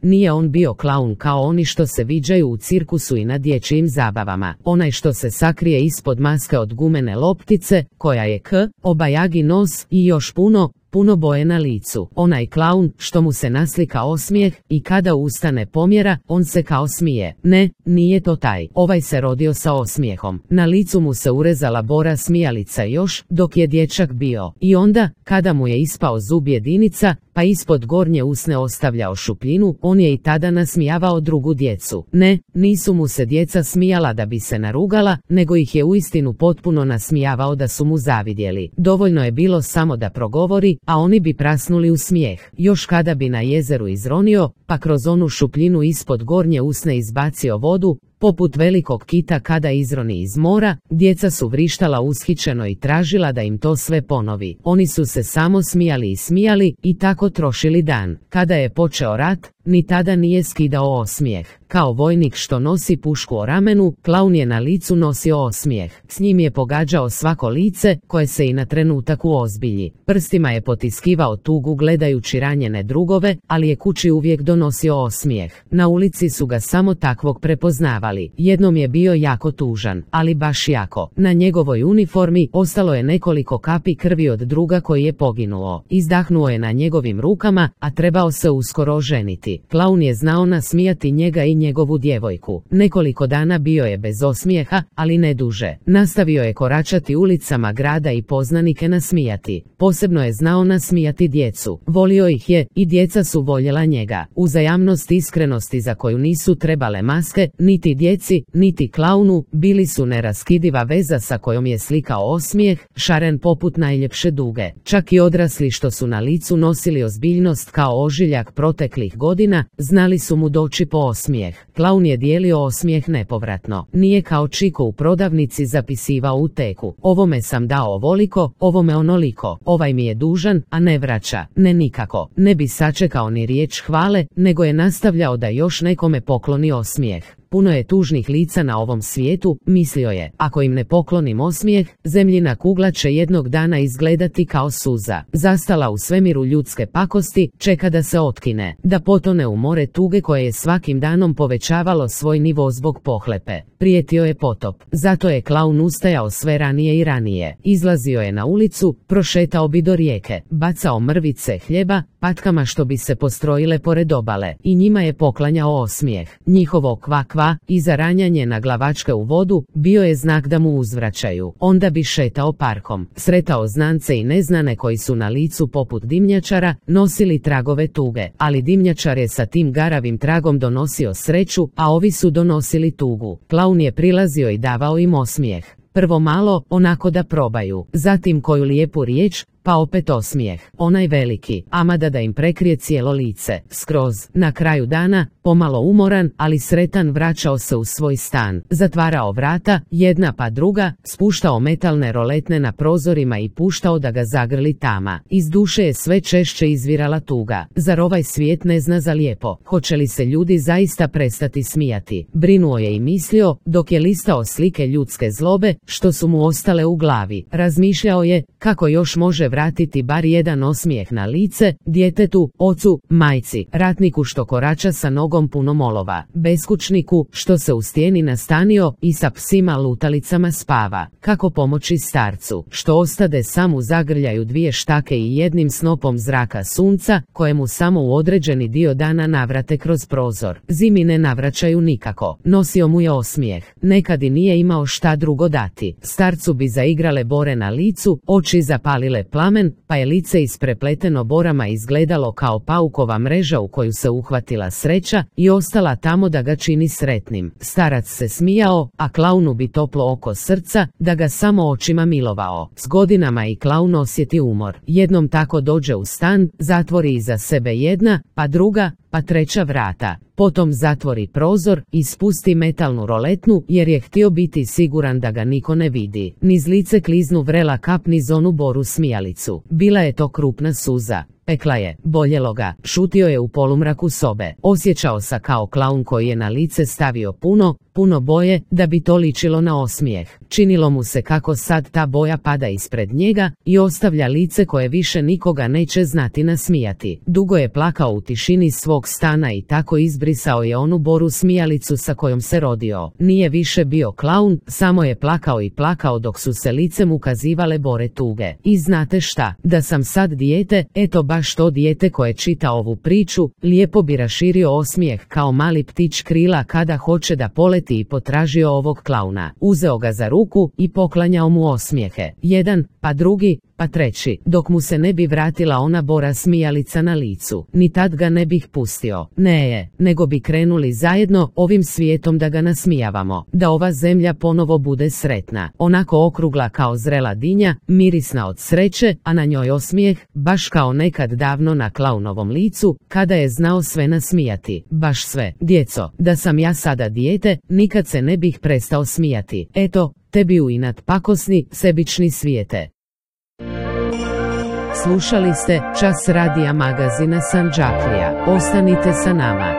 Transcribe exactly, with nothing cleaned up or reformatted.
Nije on bio klaun kao oni što se viđaju u cirkusu i na dječjim zabavama. Onaj što se sakrije ispod maske od gumene loptice, koja je k, obajagi nos i još puno, puno boje na licu. Onaj klaun što mu se naslika osmijeh i kada ustane pomjera, on se kao smije. Ne, nije to taj. Ovaj se rodio sa osmijehom. Na licu mu se urezala bora smijalica još dok je dječak bio. I onda, kada mu je ispao zub jedinica, pa ispod gornje usne ostavljao šupljinu, on je i tada nasmijavao drugu djecu. Ne, nisu mu se djeca smijala da bi se narugala, nego ih je uistinu potpuno nasmijavao da su mu zavidjeli. Dovoljno je bilo samo da progovori, a oni bi prasnuli u smijeh. Još kada bi na jezeru izronio, pa kroz onu šupljinu ispod gornje usne izbacio vodu, poput velikog kita kada izroni iz mora, djeca su vrištala ushićeno i tražila da im to sve ponovi. Oni su se samo smijali i smijali i tako trošili dan. Kada je počeo rat, ni tada nije skidao osmijeh. Kao vojnik što nosi pušku o ramenu, klaun je na licu nosio osmijeh. S njim je pogađao svako lice, koje se i na trenutak uozbilji. Prstima je potiskivao tugu gledajući ranjene drugove, ali je kući uvijek donosio osmijeh. Na ulici su ga samo takvog prepoznavali. Jednom je bio jako tužan, ali baš jako. Na njegovoj uniformi ostalo je nekoliko kapi krvi od druga koji je poginuo. Izdahnuo je na njegovim rukama, a trebao se uskoro oženiti. Klaun je znao nasmijati njega i njegovu djevojku. Nekoliko dana bio je bez osmijeha, ali ne duže. Nastavio je koračati ulicama grada i poznanike nasmijati. Posebno je znao nasmijati djecu. Volio ih je i djeca su voljela njega. Uzajamnost iskrenosti za koju nisu trebale maske, niti djeci, niti klaunu, bili su neraskidiva veza sa kojom je slikao osmijeh, šaren poput najljepše duge. Čak i odrasli što su na licu nosili ozbiljnost kao ožiljak proteklih godina, znali su mu doći po osmijeh. Klaun je dijelio osmijeh nepovratno. Nije kao Čiko u prodavnici zapisivao u teku. Ovome sam dao ovoliko, ovome onoliko. Ovaj mi je dužan, a ne vraća. Ne nikako. Ne bi sačekao ni riječ hvale, nego je nastavljao da još nekome pokloni osmijeh. Puno je tužnih lica na ovom svijetu, mislio je. Ako im ne poklonim osmijeh, zemljina kugla će jednog dana izgledati kao suza. Zastala u svemiru ljudske pakosti, čeka da se otkine, da potone u more tuge koje je svakim danom povećavalo svoj nivo zbog pohlepe. Prijetio je potop. Zato je klaun ustajao sve ranije i ranije. Izlazio je na ulicu, prošetao bi do rijeke, bacao mrvice hljeba, patkama što bi se postrojile pored obale, i njima je poklanjao osmijeh. Njihovo kva kva i zaranjanje na glavačke u vodu bio je znak da mu uzvraćaju. Onda bi šetao parkom, sretao znance i neznane koji su na licu poput dimnjačara nosili tragove tuge, ali dimnjačar je sa tim garavim tragom donosio sreću, a ovi su donosili tugu. Klaun je prilazio i davao im osmijeh. Prvo malo, onako da probaju, zatim koju lijepu riječ, pa opet osmijeh, onaj veliki, amada da im prekrije cijelo lice. Skroz, na kraju dana, pomalo umoran, ali sretan vraćao se u svoj stan, zatvarao vrata, jedna pa druga, spuštao metalne roletne na prozorima i puštao da ga zagrli tama. Iz duše je sve češće izvirala tuga. Zar ovaj svijet ne zna za lijepo? Hoće li se ljudi zaista prestati smijati? Brinuo je i mislio, dok je listao slike ljudske zlobe, što su mu ostale u glavi. Razmišljao je, kako još može vratiti bar jedan osmijeh na lice, djetetu, ocu, majci, ratniku što korača sa nogom punom olova, beskućniku što se u stijeni nastanio i sa psima lutalicama spava. Kako pomoći starcu što ostade sam u zagrljaju dvije štake i jednim snopom zraka sunca, kojemu samo u određeni dio dana navrate kroz prozor. Zimi ne navraćaju nikako. Nosio mu je osmijeh. Nekad i nije imao šta drugo dati. Starcu bi zaigrale bore na licu, oči zapalile plamen, pa je lice isprepleteno borama izgledalo kao paukova mreža u koju se uhvatila sreća i ostala tamo da ga čini sretnim. Starac se smijao, a klaunu bi toplo oko srca, da ga samo očima milovao. S godinama i klaun osjeti umor. Jednom tako dođe u stan, zatvori iza sebe jedna, pa druga, pa treća vrata. Potom zatvori prozor i spusti metalnu roletnu jer je htio biti siguran da ga niko ne vidi. Niz lice kliznu vrela kap niz onu boru smijalicu. Bila je to krupna suza. Pekla je, boljelo ga, šutio je u polumraku sobe. Osjećao se kao klaun koji je na lice stavio puno, puno boje, da bi to ličilo na osmijeh. Činilo mu se kako sad ta boja pada ispred njega i ostavlja lice koje više nikoga neće znati nasmijati. Dugo je plakao u tišini svog stana i tako izbrisao je onu boru smijalicu sa kojom se rodio. Nije više bio klaun, samo je plakao i plakao dok su se licem ukazivale bore tuge. I znate šta, da sam sad dijete, eto baš to dijete koje čita ovu priču, lijepo bi raširio osmijeh kao mali ptić krila kada hoće da poleti i potražio ovog klauna. Uzeo ga za ruku i poklanjao mu osmijehe. Jedan, pa drugi, pa treći, dok mu se ne bi vratila ona bora smijalica na licu. Ni tad ga ne bih pustio. Ne je, nego bi krenuli zajedno ovim svijetom da ga nasmijavamo. Da ova zemlja ponovo bude sretna. Onako okrugla kao zrela dinja, mirisna od sreće, a na njoj osmijeh, baš kao nekad davno na klaunovom licu, kada je znao sve nasmijati. Baš sve. Djeco, da sam ja sada dijete, nikad se ne bih prestao smijati. Eto, tebi u inat pakosni, sebični svijete. Slušali ste Čas radija magazina Sandžaklija. Ostanite sa nama.